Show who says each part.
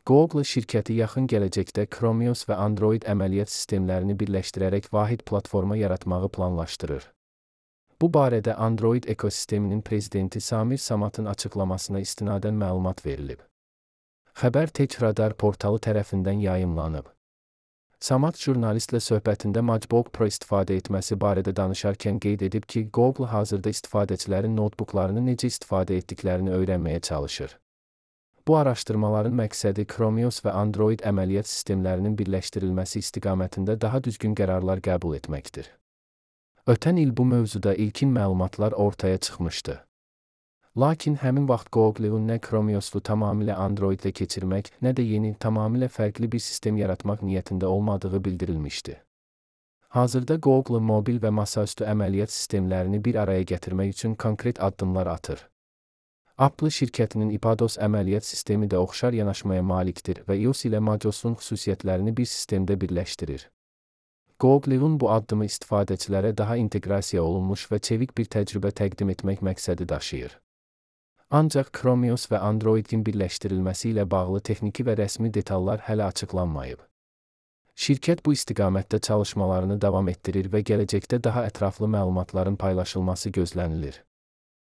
Speaker 1: Google şirkəti yaxın gələcəkdə Chromios və Android əməliyyat sistemlərini birləşdirərək vahid platforma yaratmağı planlaşdırır. Bu barədə Android ekosisteminin prezidenti Samir Samatın açıqlamasına istinadən məlumat verilib. Xəbər Tech Radar portalı tərəfindən yayımlanıb. Samat jurnalistlə söhbətində MacBook Pro istifadə etməsi barədə danışarkən qeyd edib ki, Google hazırda istifadəçilərin notebooklarını necə istifadə etdiklərini öyrənməyə çalışır. Bu araşdırmaların məqsədi Chromios və Android əməliyyat sistemlərinin birləşdirilməsi istiqamətində daha düzgün qərarlar qəbul etməkdir. Ötən il bu mövzuda ilkin məlumatlar ortaya çıxmışdı. Lakin həmin vaxt Google-un nə Chromios'u tamamilə Android-ə keçirmək, nə də yeni, tamamilə fərqli bir sistem yaratmaq niyyətində olmadığı bildirilmişdi. Hazırda Google mobil və masaüstü əməliyyat sistemlərini bir araya gətirmək üçün konkret addımlar atır. Apple şirkətinin iPadOS əməliyyat sistemi də oxşar yanaşmaya malikdir və iOS ilə macOS'un xüsusiyyətlərini bir sistemdə birləşdirir. Google-un bu addımı istifadəçilərə daha inteqrasiya olunmuş və çevik bir təcrübə təqdim etmək məqsədi daşıyır. Ancaq Chromios və Androidin birləşdirilməsi ilə bağlı texniki və rəsmi detallar hələ açıqlanmayıb. Şirkət bu istiqamətdə çalışmalarını davam etdirir və gələcəkdə daha ətraflı məlumatların paylaşılması gözlənilir.